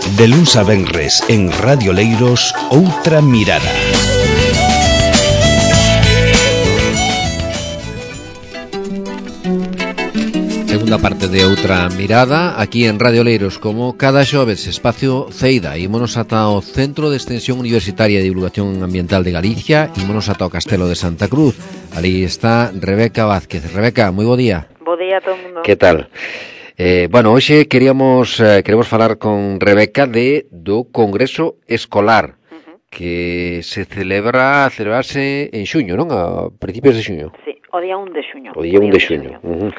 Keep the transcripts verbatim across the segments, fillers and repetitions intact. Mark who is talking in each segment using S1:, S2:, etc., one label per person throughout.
S1: De luns a venres en Radio Leiros, Outra Mirada.
S2: Segunda parte de Outra Mirada, aquí en Radio Leiros, como cada xoves, espacio Ceida. Ímonos ata o Centro de Extensión Universitaria de Divulgación Ambiental de Galicia, ímonos ata o Castelo de Santa Cruz. Ali está Rebeca Vázquez. Rebeca, moi bo día.
S3: Bo día a todo o mundo.
S2: Que tal? Eh, bueno, hoxe queríamos eh, queremos falar con Rebeca de do Congreso Escolar, uh-huh, que se celebra a celebrarse en xuño, non? A principios de xuño.
S3: Sí, o día un de xuño.
S2: O día un de xuño. Uh-huh.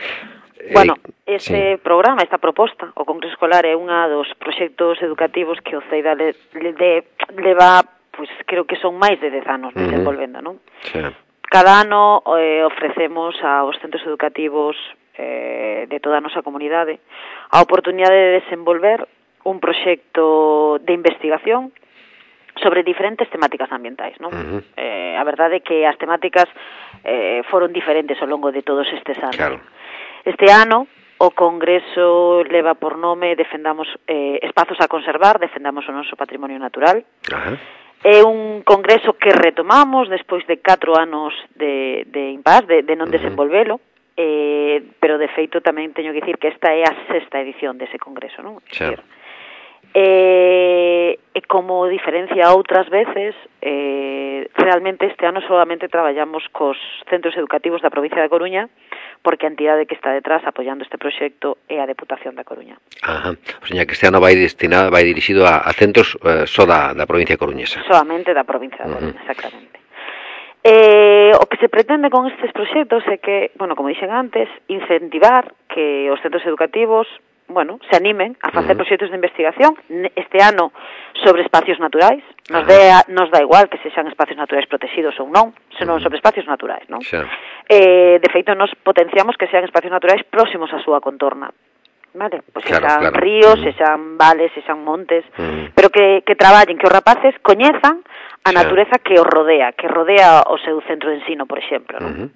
S3: Bueno, ese
S2: sí.
S3: programa, esta proposta, o Congreso Escolar é unha dos proxectos educativos que o CEIDA le, le, le, leva, pois, pues, creo que son máis de dez anos desenvolvendo, uh-huh, non?
S2: Sí.
S3: Cada ano eh, ofrecemos aos centros educativos eh, de toda a nosa comunidade a oportunidade de desenvolver un proxecto de investigación sobre diferentes temáticas ambientais, non? Uh-huh. Eh, a verdade é que as temáticas eh, foron diferentes ao longo de todos estes anos.
S2: Claro.
S3: Este ano o Congreso leva por nome Defendamos eh, espazos a conservar, defendamos o noso patrimonio natural.
S2: Uh-huh.
S3: É un congreso que retomamos despois de catro anos de, de impas, de, de non desenvolvelo, eh, pero de feito tamén teño que dicir que esta é a sexta edición dese congreso, non?
S2: Sí.
S3: Eh, e como diferencia outras veces, eh, realmente este ano solamente traballamos cos centros educativos da provincia da Coruña, porque a entidade que está detrás apoiando este proxecto é a Deputación da Coruña.
S2: Ajá. O sea, que este ano vai destinado, vai dirixido a, a centros eh, só da, da provincia coruñesa.
S3: Solamente da provincia da Coruña, uh-huh, exactamente. Eh, o que se pretende con estes proxectos é que, bueno, como dixen antes, incentivar que os centros educativos, bueno, se animen a facer, uh-huh, proxectos de investigación este ano sobre espacios naturais. Nos, uh-huh, dea, nos dá igual que sexan espacios naturais protegidos ou non, senón, uh-huh, sobre espacios naturais, non?
S2: Sí.
S3: Eh, de feito, nos potenciamos que sean espacios naturais próximos á súa contorna. Vale? Pois
S2: claro,
S3: sexan
S2: claro.
S3: ríos,
S2: uh-huh,
S3: sexan vales, sexan montes,
S2: uh-huh,
S3: pero que, que traballen, que os rapaces coñezan a
S2: sí,
S3: natureza que os rodea, que rodea o seu centro de ensino, por exemplo, non?
S2: uh-huh.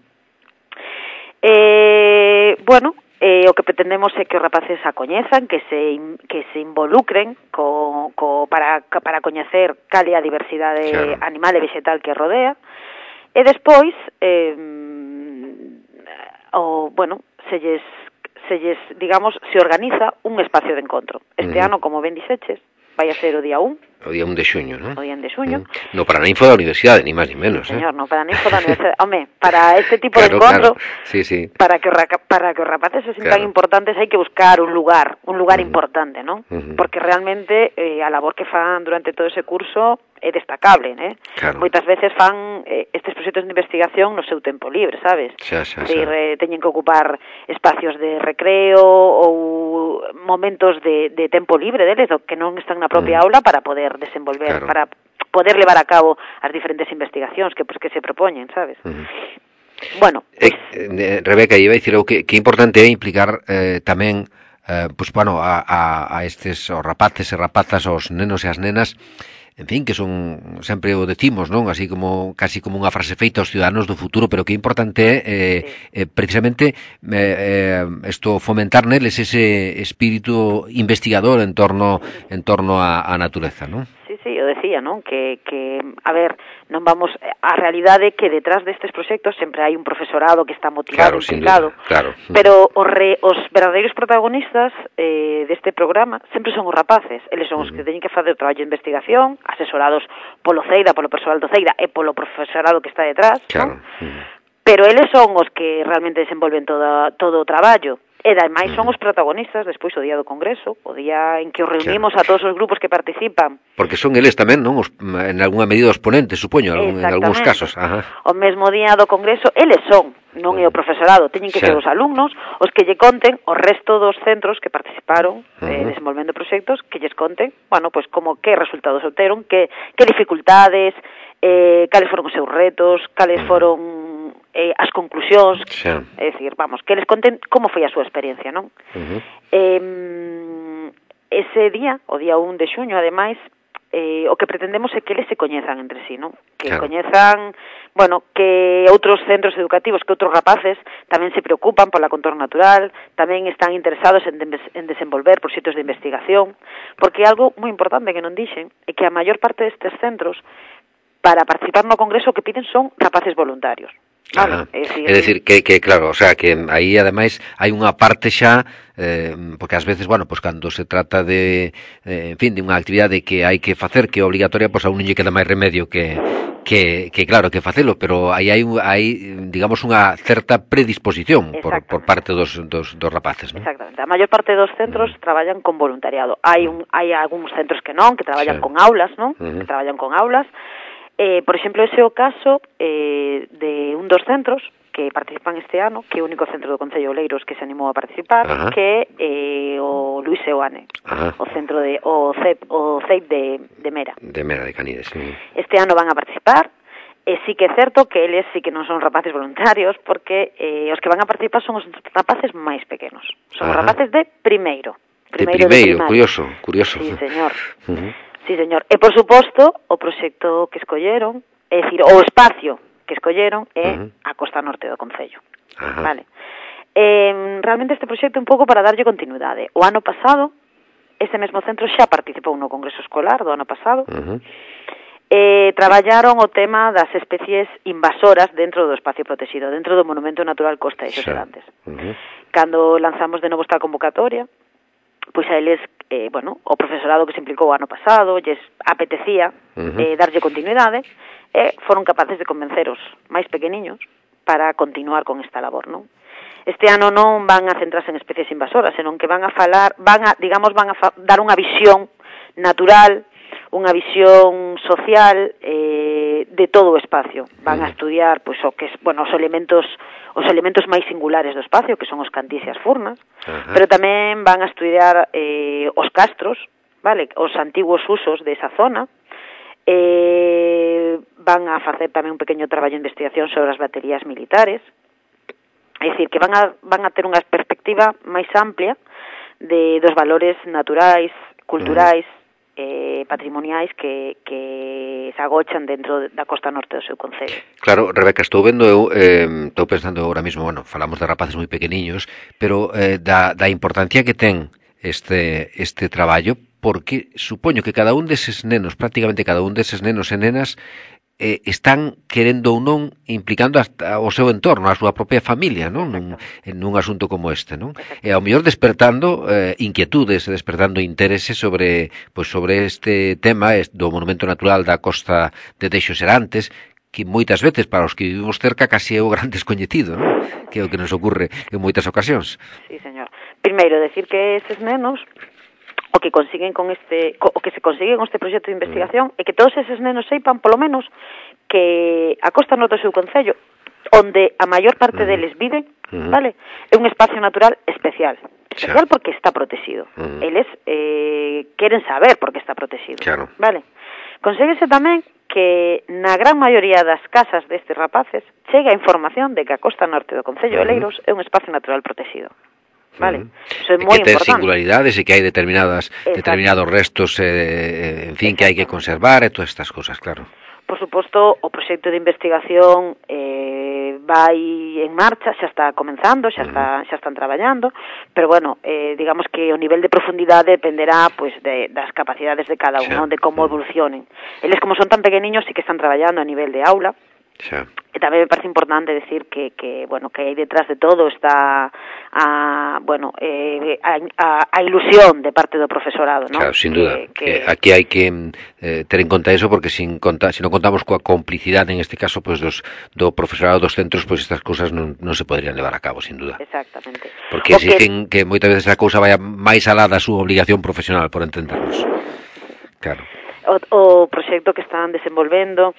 S3: Eh, bueno, eh, o que pretendemos é que os rapaces a coñezan, que se que se involucren co, co para para coñecer cal é a diversidade, claro, animal e vegetal que rodea, e despois eh, o bueno, selles selles, digamos, se organiza un espacio de encontro. Este uh-huh, ano, como ben dixeches, vai a ser o día un.
S2: O día un de xuño, non?
S3: O día un de xuño.
S2: Uh-huh. No Paraninfo da Universidade, ni máis ni menos,
S3: sí,
S2: eh?
S3: señor, no Paraninfo da Universidade. Home, para este tipo
S2: claro,
S3: de encontro,
S2: claro. Sí, sí.
S3: para que para que os rapaces se sintan, claro, importantes, hai que buscar un lugar, un lugar uh-huh, importante, non? Uh-huh. Porque realmente eh, a labor que fan durante todo ese curso é destacable, né?
S2: Claro.
S3: Moitas veces fan eh, estes proxectos de investigación no seu tempo libre, sabes?
S2: Xa, xa, xa.
S3: Decir, eh, teñen que ocupar espacios de recreo ou momentos de, de tempo libre deles, que non están na propia uh-huh, aula, para poder desenvolver, claro, para poder levar a cabo as diferentes investigacións que, pues, que se propoñen, sabes? Uh-huh. Bueno, pues...
S2: eh, eh, Rebeca, iba a dicir que, que importante é implicar eh, tamén eh, pues, bueno, a, a, a estes os rapaces e rapazas, os nenos e as nenas, en fin, que son, sempre o decimos, non? Así como, casi como unha frase feita aos ciudadanos do futuro, pero que importante é, eh, eh, precisamente, eh, esto, fomentar neles ese espírito investigador en torno, en torno a, a natureza, non?
S3: Sí, sí, eu decía, non? Que, que, a ver, non vamos, a realidade é que detrás destes proxectos sempre hai un profesorado que está motivado,
S2: claro,
S3: implicado,
S2: claro.
S3: Pero os, re, os verdadeiros protagonistas eh, deste programa sempre son os rapaces, eles son os que teñen que facer o traballo de investigación, asesorados polo CEIDA, polo persoal do CEIDA e polo profesorado que está detrás,
S2: claro,
S3: non? Pero eles son os que realmente desenvolven toda, todo o traballo. E ademais son os protagonistas despois o día do Congreso, o día en que os reunimos, claro, a todos os grupos que participan.
S2: Porque son eles tamén, non? Os, en algunha medida os ponentes, supoño, en algúns casos. Ajá.
S3: O mesmo día do Congreso, eles son, non é o profesorado, teñen que ser os alumnos os que lle conten o resto dos centros que participaron uh-huh, eh, desenvolvendo proxectos, que lles conten, bueno, pois como que resultados obteron, que, que dificultades, eh, cales foron os seus retos, cales foron eh, as conclusións, sí, é dicir, vamos, que les conten como foi a súa experiencia, non? Uh-huh. Eh, ese día, o día un de xuño, ademais, eh, o que pretendemos é que eles se coñezan entre sí, non? Que
S2: claro.
S3: coñezan, bueno, que outros centros educativos, que outros rapaces tamén se preocupan pola contorno natural, tamén están interesados en, de, en desenvolver proxectos de investigación, porque algo moi importante que non dixen é que a maior parte destes centros para participar no congreso que piden son rapaces voluntarios. Vale,
S2: é dicir, é dicir que, que claro, o sea, que aí ademais hai unha parte xa eh, porque ás veces, bueno, pues cando se trata de eh, en fin, de unha actividade que hai que facer, que é obligatoria, pois pues a un non lle queda máis remedio que que, que claro, que facelo, pero aí hai, hai digamos, unha certa predisposición por, por parte dos, dos, dos rapaces, ¿no?
S3: Exactamente, a maior parte dos centros uh-huh. traballan con voluntariado. Hai un, hai algúns centros que non, que traballan sí. con aulas, non? Uh-huh. Que traballan con aulas. Eh, por exemplo, ese é o caso eh, de un dos centros que participan este ano, que é o único centro do Concello de Oleiros que se animou a participar, uh-huh. que é eh, o Luis Seoane, uh-huh. o centro de o C E P, o C E P de, de Mera.
S2: De Mera de Canides, sí.
S3: Este ano van a participar, e sí que é certo que eles sí que non son rapaces voluntarios, porque eh, os que van a participar son os rapaces máis pequenos. Son uh-huh. rapaces de primeiro.
S2: Primeiro de primeiro, de curioso, curioso.
S3: Sí, señor.
S2: Uh-huh.
S3: Sí, señor. E, por suposto, o proxecto que escolleron, é dicir, o espacio que escolleron é uh-huh. a costa norte do Concello. Uh-huh. Vale. Eh, realmente este proxecto é un pouco para darlle continuidade. O ano pasado, este mesmo centro xa participou no Congreso Escolar do ano pasado, uh-huh. eh, traballaron o tema das especies invasoras dentro do espacio protegido, dentro do Monumento Natural Costa de Xoserantes. Uh-huh. Cando lanzamos de novo esta convocatoria, pois a eles, eh, bueno, o profesorado que se implicou o ano pasado, lles apetecía uh-huh. eh, darlle continuidade, e foron capaces de convencer os máis pequeniños para continuar con esta labor, non? Este ano non van a centrarse en especies invasoras, senón que van a falar, van a, digamos, van a fa- dar unha visión natural, unha visión social eh, de todo o espacio. Van a estudiar, pois, o que es, bueno, os elementos os elementos máis singulares do espacio, que son os cantís e as furnas, uh-huh. pero tamén van a estudiar eh, os castros, vale, os antiguos usos desa zona, eh, van a facer tamén un pequeno traballo de investigación sobre as baterías militares, é dicir, que van a, van a ter unha perspectiva máis amplia de dos valores naturais, culturais, uh-huh. Eh, patrimoniais que, que se agochan dentro da costa norte do seu concello.
S2: Claro, Rebeca, estou vendo eu, eh, estou pensando agora mesmo, bueno, falamos de rapaces moi pequeniños, pero eh, da, da importancia que ten este, este traballo, porque supoño que cada un deses nenos, prácticamente cada un deses nenos e nenas, eh, están querendo ou non implicando hasta o seu entorno, a súa propia familia, non? Nun, en un asunto como este, non? E ao mellor despertando eh, inquietudes, despertando interese sobre, pois, sobre este tema do Monumento Natural da Costa de Deixos Serantes, que moitas veces para os que vivimos cerca casi é o gran descoñecido, non? Que é o que nos ocurre en moitas ocasións.
S3: Sí, señor. Primeiro, decir que eses nenos o que consiguen con este o que se consigue con este proxecto de investigación é que todos eses nenos seipan polo menos que a costa norte do seu concello, onde a maior parte uh-huh. deles viven, uh-huh. vale, é un espacio natural especial. Especial claro. porque está protegido. Uh-huh. Eles eh, queren saber por que está protegido.
S2: Claro.
S3: Vale. Conseguese tamén que na gran maioría das casas destes rapaces chega a información de que a costa norte do concello uh-huh. de Oleiros é un espacio natural protegido. Vale, eso é moi importante. Que ten
S2: singularidades e que hai determinadas Exacto. determinados restos, eh, en fin, que hai que conservar e todas estas cosas, claro.
S3: Por suposto, o proxecto de investigación eh, vai en marcha, xa está comenzando, xa está xa están traballando, pero bueno, eh, digamos que o nivel de profundidade dependerá pois de, das capacidades de cada un, de como evolucionen. Eles como son tan pequeniños sí que están traballando a nivel de aula.
S2: Xa.
S3: E tamén me parece importante decir que, que bueno, que aí detrás de todo está a, bueno, eh, a, a, a ilusión de parte do profesorado, ¿no?
S2: Claro, sin duda.
S3: Que, que...
S2: Que aquí hai que eh, ter en conta eso, porque sin conta, si non contamos coa complicidade, en este caso, pues, dos, do profesorado dos centros, pois pues, estas cousas non, non se poderían levar a cabo, sin duda.
S3: Exactamente.
S2: Porque exigen que... que moitas veces a cousa vaya máis alá da súa obligación profesional, por entendernos. Claro.
S3: O, o proxecto que están desenvolvendo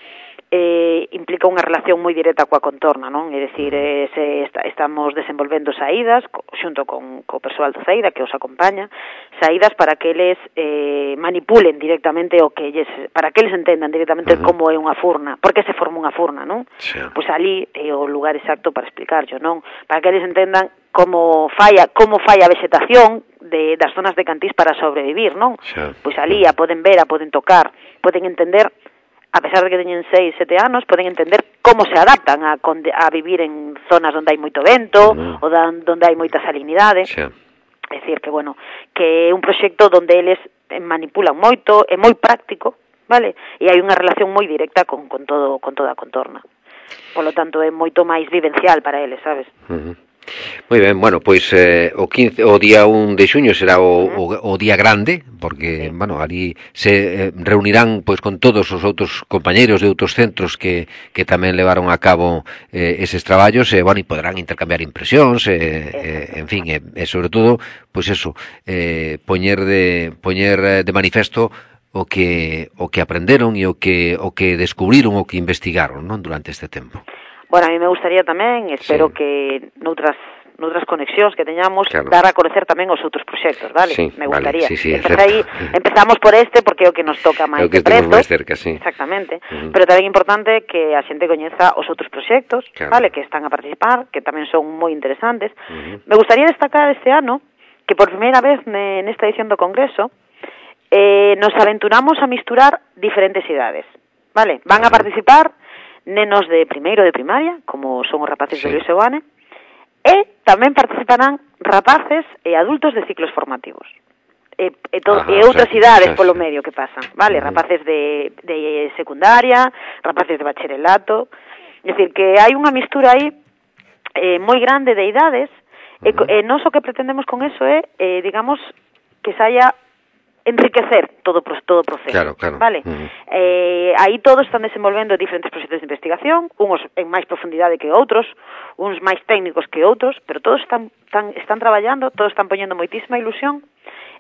S3: eh, implica unha relación moi directa coa contorna, non? É dicir, eh, se está, estamos desenvolvendo saídas co, xunto con co persoal do CEIDA que os acompaña, saídas para que eles eh, manipulen directamente o que eles, para que eles entendan directamente uh-huh. como é unha furna, por que se forma unha furna, non?
S2: Sí.
S3: Pois ali é o lugar exacto para explicarlo, non? Para que eles entendan como falla, como falla a vegetación, de, das zonas de Cantís para sobrevivir, non?
S2: Xa.
S3: Pois ali a poden ver, a poden tocar, poden entender, a pesar de que teñen seis, sete anos, poden entender como se adaptan a, a vivir en zonas onde hai moito vento, mm. ou da, onde hai moita salinidade.
S2: Xa.
S3: É dicir, que, bueno, que é un proxecto onde eles manipulan moito, é moi práctico, vale? E hai unha relación moi directa con, con, todo, con toda a contorna. Por lo tanto, é moito máis vivencial para eles, sabes?
S2: Uh-huh. Moi ben, bueno, pois eh, o quince, o día un de xuño será o, uh-huh. o, o día grande, porque, sí. bueno, ali se eh, reunirán pois con todos os outros compañeiros de outros centros que, que tamén levaron a cabo eh, eses traballos, e, eh, bueno, e poderán intercambiar impresións, eh, eh, en fin, e eh, eh, sobre todo, pois eso, eh, poñer de poñer de manifesto o que o que aprenderon e o que o que descubriron, o que investigaron, non, durante este tempo.
S3: Bueno, a mí me gustaría tamén, espero sí. que noutras noutras conexións que teñamos, claro. dar a conocer tamén os outros proxectos, vale?
S2: Sí,
S3: me gustaría.
S2: Vale, sí, sí,
S3: aí, empezamos por este porque é o que nos toca máis de preto.
S2: máis cerca, sí.
S3: Exactamente. Uh-huh. Pero tamén é importante que a xente coñeza os outros proxectos, claro. vale, que están a participar, que tamén son moi interesantes. Uh-huh. Me gustaría destacar este ano que por primeira vez nesta edición do Congreso eh, nos aventuramos a misturar diferentes idades, vale? Van uh-huh. a participar nenos de primeiro de primaria, como son os rapaces sí. de Luis Seoane, e tamén participarán rapaces e adultos de ciclos formativos. E, e, to, Ajá, e outras o sea, idades polo medio que pasan, vale? Uh-huh. Rapaces de, de secundaria, rapaces de bacharelato, é dicir, que hai unha mistura aí eh, moi grande de idades, uh-huh. e, e non o que pretendemos con eso é, eh, digamos, que saia enriquecer todo todo o proceso,
S2: claro, claro.
S3: vale? Uh-huh. Eh, aí todos están desenvolvendo diferentes proxectos de investigación, uns en máis profundidade que outros, uns máis técnicos que outros, pero todos están, están, están traballando, todos están poñendo moitísima ilusión.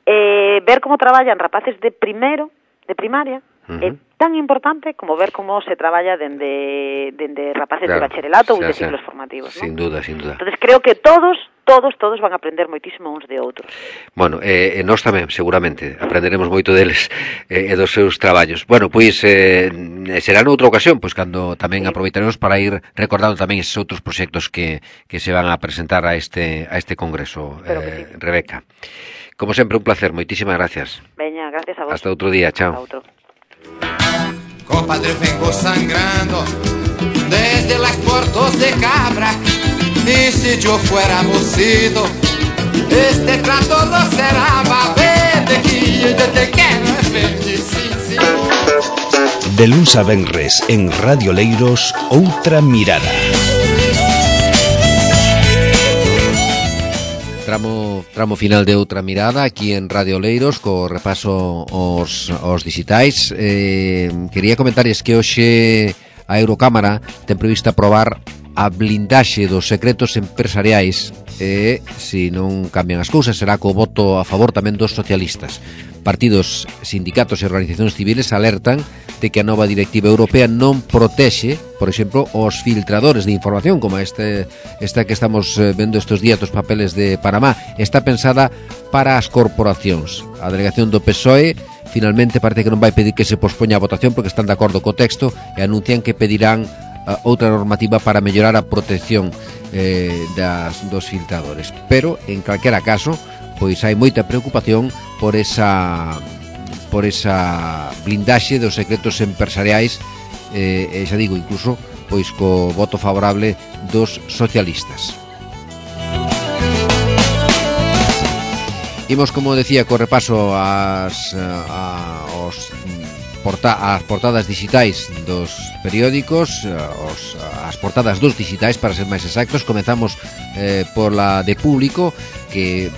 S3: Eh, ver como traballan rapaces de primeiro, de primaria, uh-huh. é tan importante como ver como se traballa dende, dende rapaces claro, de bacharelato ou de ciclos formativos,
S2: sin
S3: ¿no?
S2: duda, sin duda.
S3: Entonces creo que todos todos, todos van a aprender moitísimo uns de outros.
S2: Bueno, eh, nós tamén, seguramente, aprenderemos moito deles eh, e dos seus traballos. Bueno, pois, eh, será noutra ocasión, pois, cando tamén sí. aproveitaremos para ir recordando tamén esos outros proxectos que, que se van a presentar a este, a este congreso, eh, sí. Rebeca. Como sempre, un placer, moitísimas gracias.
S3: Veña, gracias a vos.
S2: Hasta outro día, chao.
S3: Hasta outro.
S4: Compadre, vengo sangrando desde las puertas de Cabra. Y si yo fuera mocito, este trato no será más verde que yo te quiero verde, sí, sí.
S1: De luns a venres en Radio Leiros, outra mirada.
S2: Tramo, tramo final de outra mirada aquí en Radio Leiros co repaso aos, aos digitais. Eh, quería comentarles que hoxe a Eurocámara ten previsto aprobar a blindaxe dos secretos empresariais e, se non cambian as cousas, será co voto a favor tamén dos socialistas. Partidos, sindicatos e organizacións civiles alertan de que a nova directiva europea non protexe, por exemplo, os filtradores de información, como este, esta que estamos vendo estes días dos papeles de Panamá. Está pensada para as corporacións. A delegación do P S O E finalmente parece que non vai pedir que se pospoña a votación porque están de acordo co texto e anuncian que pedirán outra normativa para mellorar a protección eh, das, dos filtradores. Pero, en calquera caso, pois hai moita preocupación por esa por esa blindaxe dos secretos empresariais, eh, e xa digo, incluso pois co voto favorable dos socialistas. Imos, como decía, co repaso as, a, aos Porta, as portadas digitais dos periódicos, os, as portadas dos digitais, para ser máis exactos. Comezamos eh, por la de Público, que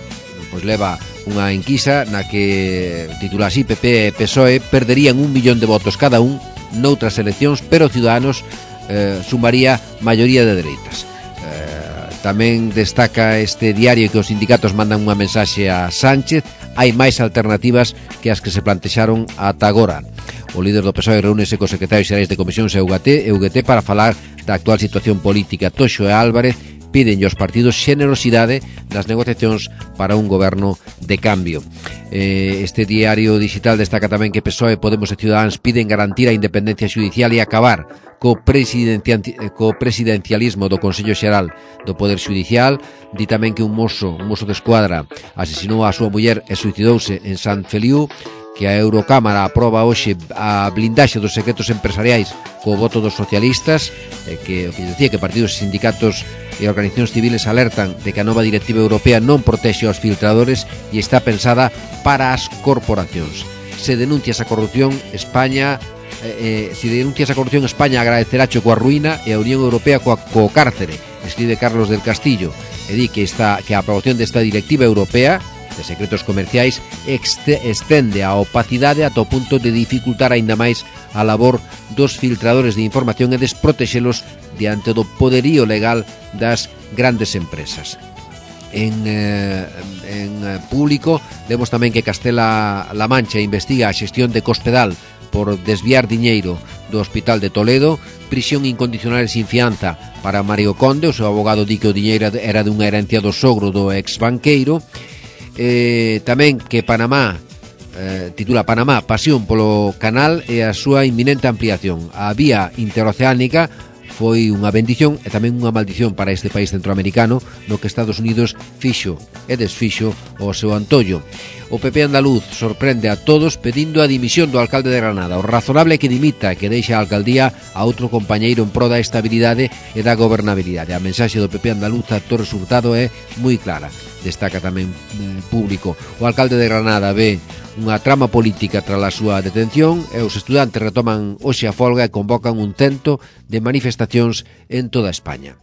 S2: pois leva unha enquisa na que titula así: P P e P S O E perderían un millón de votos cada un noutras eleccións, pero Ciudadanos eh, sumaría maioría de dereitas. Eh, tamén destaca este diario que os sindicatos mandan unha mensaxe a Sánchez: hai máis alternativas que as que se plantexaron ata agora. O líder do P S O E reúnese cos secretarios xerais de Comisións e U G T, e U G T para falar da actual situación política. Toxo e Álvarez piden aos partidos xenerosidade nas negociacións para un goberno de cambio. Eh, este diario digital destaca tamén que P S O E, Podemos e Ciudadanos piden garantir a independencia xudicial e acabar co, co presidencialismo do Consello Xeral do Poder Xudicial. Di tamén que un mozo, un mozo de escuadra asesinou a súa muller e suicidouse en Sant Feliu, que a Eurocámara aproba hoxe a blindaxe dos secretos empresariais co voto dos socialistas, eh, que o que decía que partidos, sindicatos e organizacións civiles alertan de que a nova directiva europea non protexe aos filtradores e está pensada para as corporacións. Se denuncia esa corrupción, España eh, eh, se denuncia esa corrupción, España agradeceracho coa ruína e a Unión Europea coa, co cárcere, escribe Carlos del Castillo, e di que, esta, que a aprobación desta directiva europea de secretos comerciais estende a opacidade ata o punto de dificultar aínda máis a labor dos filtradores de información e desprotexelos diante do poderío legal das grandes empresas. En, eh, en público vemos tamén que Castela-La Mancha investiga a xestión de Cospedal por desviar diñeiro do Hospital de Toledo, prisión incondicional e sin fianza para Mario Conde, o seu abogado di que o diñeiro era dunha herencia do sogro do ex banqueiro. Eh, tamén que Panamá eh, titula Panamá, pasión polo canal e a súa inminente ampliación. A vía interoceánica foi unha bendición e tamén unha maldición para este país centroamericano, no que Estados Unidos fixo e desfixo o seu antollo. O P P andaluz sorprende a todos pedindo a dimisión do alcalde de Granada. O razonable é que dimita, que deixa a alcaldía a outro compañeiro en pro da estabilidade e da gobernabilidade. A mensaxe do P P andaluz a Torres Hurtado é moi clara. Destaca tamén eh, público. O alcalde de Granada ve unha trama política tras a súa detención e os estudantes retoman hoxe a folga e convocan un tento de manifestacións en toda España.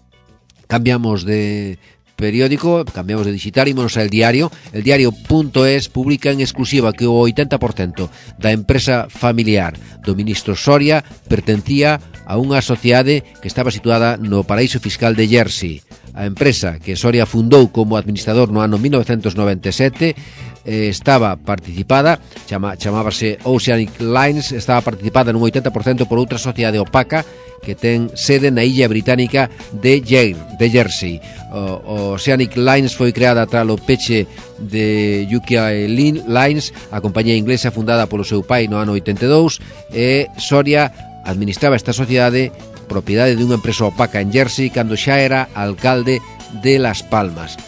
S2: Cambiamos de periódico, cambiamos de digital, ímonos al diario. El diario.es publica en exclusiva que o oitenta por cento da empresa familiar do ministro Soria pertencía a unha sociedade que estaba situada no paraíso fiscal de Jersey. A empresa que Soria fundou como administrador no ano mil novecentos noventa e sete eh, estaba participada, chama, chamábase Oceanic Lines, estaba participada nun oitenta por cento por outra sociedade opaca que ten sede na illa británica de, Jer, de Jersey. O, o Oceanic Lines foi creada tras o peche de U K Lines, a compañía inglesa fundada polo seu pai no ano oitenta e dous, e Soria administraba esta sociedade, propiedade dunha empresa opaca en Jersey, cando xa era alcalde de Las Palmas.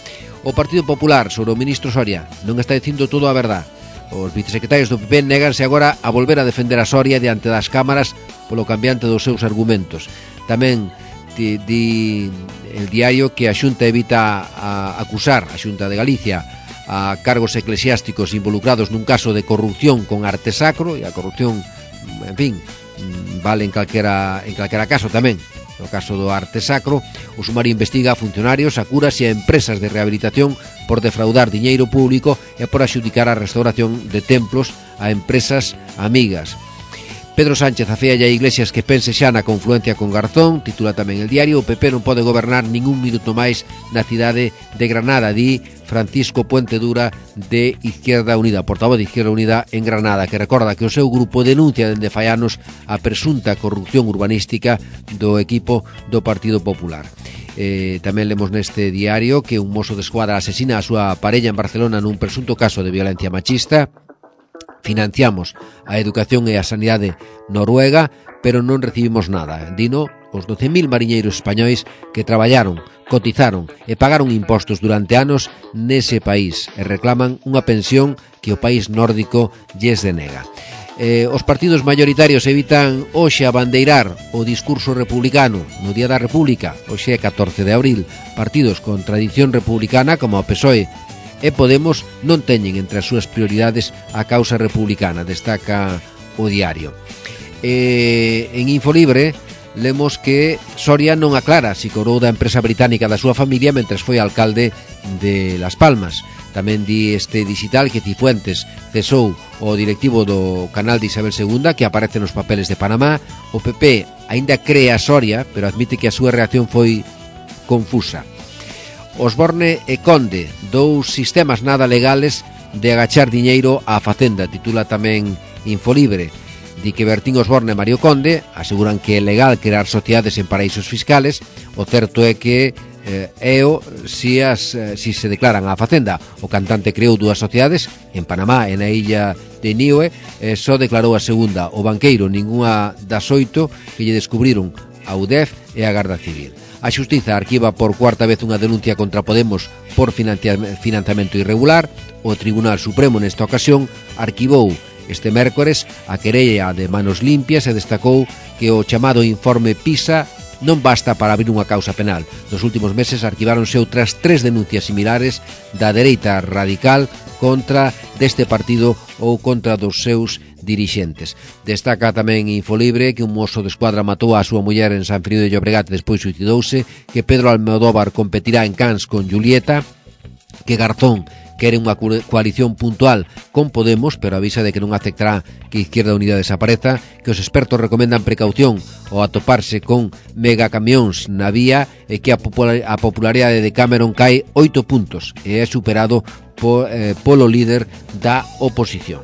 S2: O Partido Popular sobre o ministro Soria non está dicindo todo a verdad. Os vicesecretarios do P P néganse agora a volver a defender a Soria diante das cámaras polo cambiante dos seus argumentos. Tamén di, di el diario que a Xunta evita a acusar a Xunta de Galicia a cargos eclesiásticos involucrados nun caso de corrupción con arte sacro, e a corrupción, en fin, vale en calquera, en calquera caso tamén. No caso do arte sacro, o sumario investiga a funcionarios, a curas e a empresas de rehabilitación por defraudar diñeiro público e por axudicar a restauración de templos a empresas amigas. Pedro Sánchez afea a Iglesias que pense xa na confluencia con Garzón, titula tamén el diario. O P P non pode gobernar ningún minuto máis na cidade de Granada, di Francisco Puente Dura de Izquierda Unida, portavoz de Izquierda Unida en Granada, que recorda que o seu grupo denuncia dende fai anos a presunta corrupción urbanística do equipo do Partido Popular. Eh, tamén lemos neste diario que un mozo de escuadra asesina a súa parella en Barcelona nun presunto caso de violencia machista. Financiamos a educación e a sanidade noruega, pero non recibimos nada. Dino os doce mil mariñeiros españois que traballaron, cotizaron e pagaron impostos durante anos nese país e reclaman unha pensión que o país nórdico lles denega. Eh, os partidos maioritarios evitan hoxe abandeirar o discurso republicano no Día da República, hoxe é catorce de abril. Partidos con tradición republicana como o P S O E e Podemos non teñen entre as súas prioridades a causa republicana, destaca o diario. E, en Infolibre lemos que Soria non aclara si cobrou da empresa británica da súa familia mentres foi alcalde de Las Palmas. Tamén di este digital que Cifuentes cesou o directivo do canal de Isabel segunda, que aparece nos papeles de Panamá. O P P aínda cree a Soria, pero admite que a súa reacción foi confusa. Osborne e Conde, dous sistemas nada legales de agachar diñeiro á facenda, titula tamén Infolibre. Di que Bertín Osborne e Mario Conde aseguran que é legal crear sociedades en paraísos fiscales. O certo é que eh, e o si, as, eh, si se declaran á facenda. O cantante creou dúas sociedades en Panamá e na illa de Niue, eh, só declarou a segunda. O banqueiro ningunha das oito que lle descubriron a U D E F e a Garda Civil. A Xustiza arquiva por cuarta vez unha denuncia contra Podemos por financiamento irregular. O Tribunal Supremo nesta ocasión arquivou este mércores a querella de Manos Limpias e destacou que o chamado informe PISA non basta para abrir unha causa penal. Nos últimos meses arquiváronse outras tres denuncias similares da dereita radical contra deste partido ou contra dos seus dirixentes. Destaca tamén Infolibre que un mozo de escuadra matou a súa muller en San Frío de Llobregat e despois suicidouse, que Pedro Almodóvar competirá en Cannes con Julieta, que Garzón quere unha coalición puntual con Podemos, pero avisa de que non aceptará que Izquierda Unida desapareza, que os expertos recomendan precaución ao atoparse con megacamións na vía e que a popularidade de Cameron cae oito puntos e é superado po, eh, polo líder da oposición.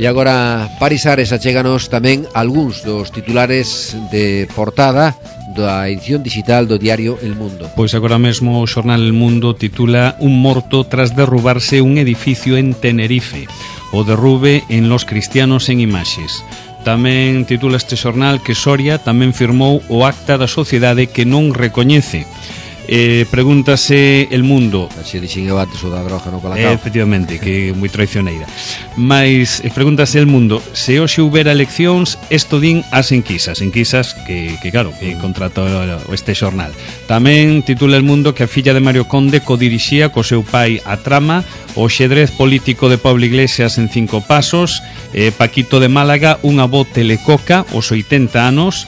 S2: E agora, Paris Ares, achéganos tamén algúns dos titulares de portada da edición digital do diario El Mundo.
S5: Pois agora mesmo o xornal El Mundo titula Un morto tras derrubarse un edificio en Tenerife. O derrube en Los Cristianos en imaxes. Tamén titula este xornal que Soria tamén firmou o acta da sociedade que non recoñece. Eh, pregúntase El Mundo.
S2: Así dixen eu antes o da droga no Colacao.
S5: Eh, efectivamente, que é moi traicioneira. Mais eh, pregúntase El Mundo, se hoxe houbera eleccións, esto din as enquisas, enquisas que, que claro, que contrata este xornal. Tamén titula El Mundo que a filla de Mario Conde codirixía co seu pai a trama, o xedrez político de Pablo Iglesias en cinco pasos, eh, Paquito de Málaga, unha voz telecoca, os oitenta anos.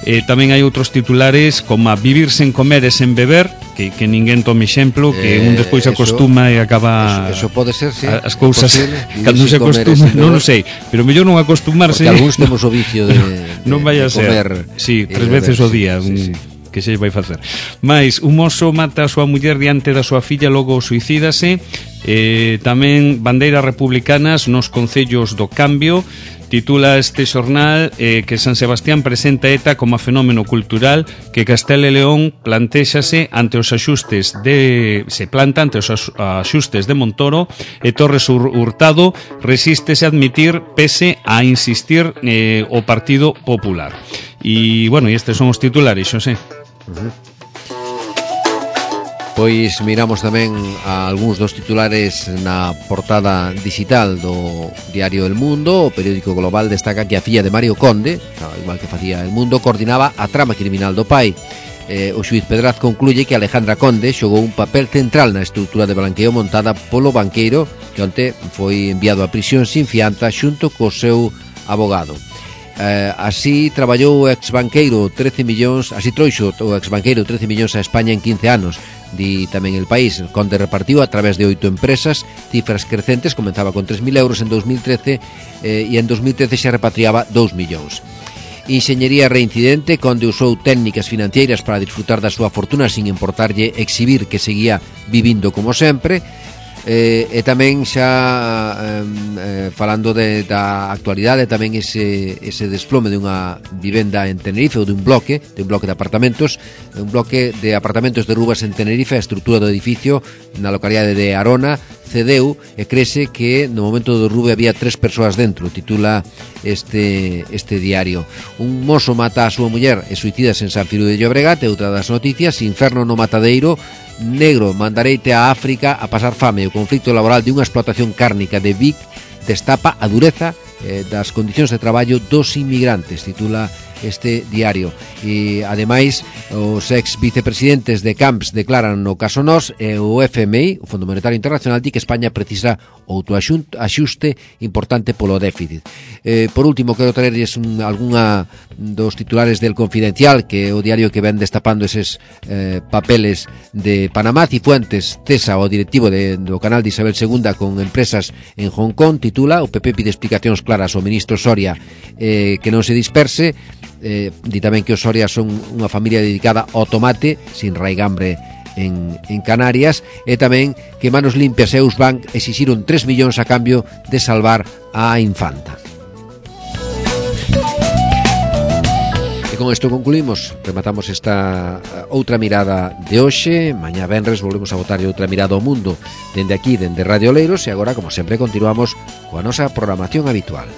S5: Eh, tamén hai outros titulares como a vivir sen comer e sen beber, que, que ninguén tome exemplo, que eh, un despois se acostuma e acaba
S2: eso, eso pode ser, sí,
S5: as cousas cando se acostuma, non o sei, pero mellor non acostumarse,
S2: porque algúns temos o vicio de, de,
S5: non vai a
S2: de
S5: ser,
S2: comer,
S5: sí, tres veces o día, sí, sí. Que se vai facer. Mais un mozo mata a súa muller diante da súa filla, logo suicídase. Eh, tamén bandeiras republicanas nos concellos do Cambio. Titula este xornal eh, que San Sebastián presenta ETA como fenómeno cultural, que Castela e León plantéxase ante os axustes de se planta ante os axustes de Montoro, e Torres Hurtado resístese a admitir pese a insistir eh, o Partido Popular. E bueno, e estes son os titulares, Xosé.
S2: Uh-huh. Pois miramos tamén a algúns dos titulares na portada digital do diario El Mundo. O periódico Global destaca que a filla de Mario Conde, igual que facía El Mundo, coordinaba a trama criminal do pai. Eh, o xuiz Pedraz concluye que Alejandra Conde xogou un papel central na estrutura de blanqueo montada polo banqueiro, que onte foi enviado a prisión sin fianza xunto co seu abogado. Eh, así traballou o exbanqueiro trece millóns, así trouxo o exbanqueiro trece millóns a España en quince anos, di tamén El País. Conde repartiu a través de oito empresas, cifras crecentes, comenzaba con tres mil euros en dos mil trece eh, e en dos mil trece xa repatriaba dous millóns. Enxeñería reincidente, Conde usou técnicas financeiras para disfrutar da súa fortuna sin importarlle exhibir que seguía vivindo como sempre. Eh, e tamén xa eh, falando de, da actualidade, tamén ese, ese desplome de unha vivenda en Tenerife, ou de un bloque de un bloque de apartamentos de un bloque de apartamentos de Rubas en Tenerife. A estrutura do edificio na localidade de Arona cedeu e crese que no momento do derrube había tres persoas dentro, titula este, este diario. Un mozo mata a súa muller e suicidas en San Frío de Llobregat. E outra das noticias, inferno no matadeiro, negro mandareite a África a pasar fame. O conflito laboral de unha explotación cárnica de Vic destapa a dureza eh, das condicións de traballo dos inmigrantes, titula este diario. E ademais os ex vicepresidentes de Camps declaran no caso Nos, e o F M I, o Fondo Monetario Internacional, di que España precisa outro axuste importante polo déficit. Eh, por último, quero traerles un, algunha dos titulares del Confidencial, que é o diario que ven destapando eses eh, papeles de Panamá. Cifuentes cesa o directivo de, do canal de Isabel segunda con empresas en Hong Kong, titula. O P P pide explicacións claras ao ministro Soria, eh, que non se disperse. Eh, di tamén que os Soria son unha familia dedicada ao tomate, sin raigambre en, en Canarias. E tamén que Manos Limpias e Eusbank exixiron tres millóns a cambio de salvar a infanta. E con isto concluímos, rematamos esta outra mirada de hoxe. Mañá venres volvemos a botar outra mirada ao mundo dende aquí, dende Radio Oleiros, e agora, como sempre, continuamos coa nosa programación habitual.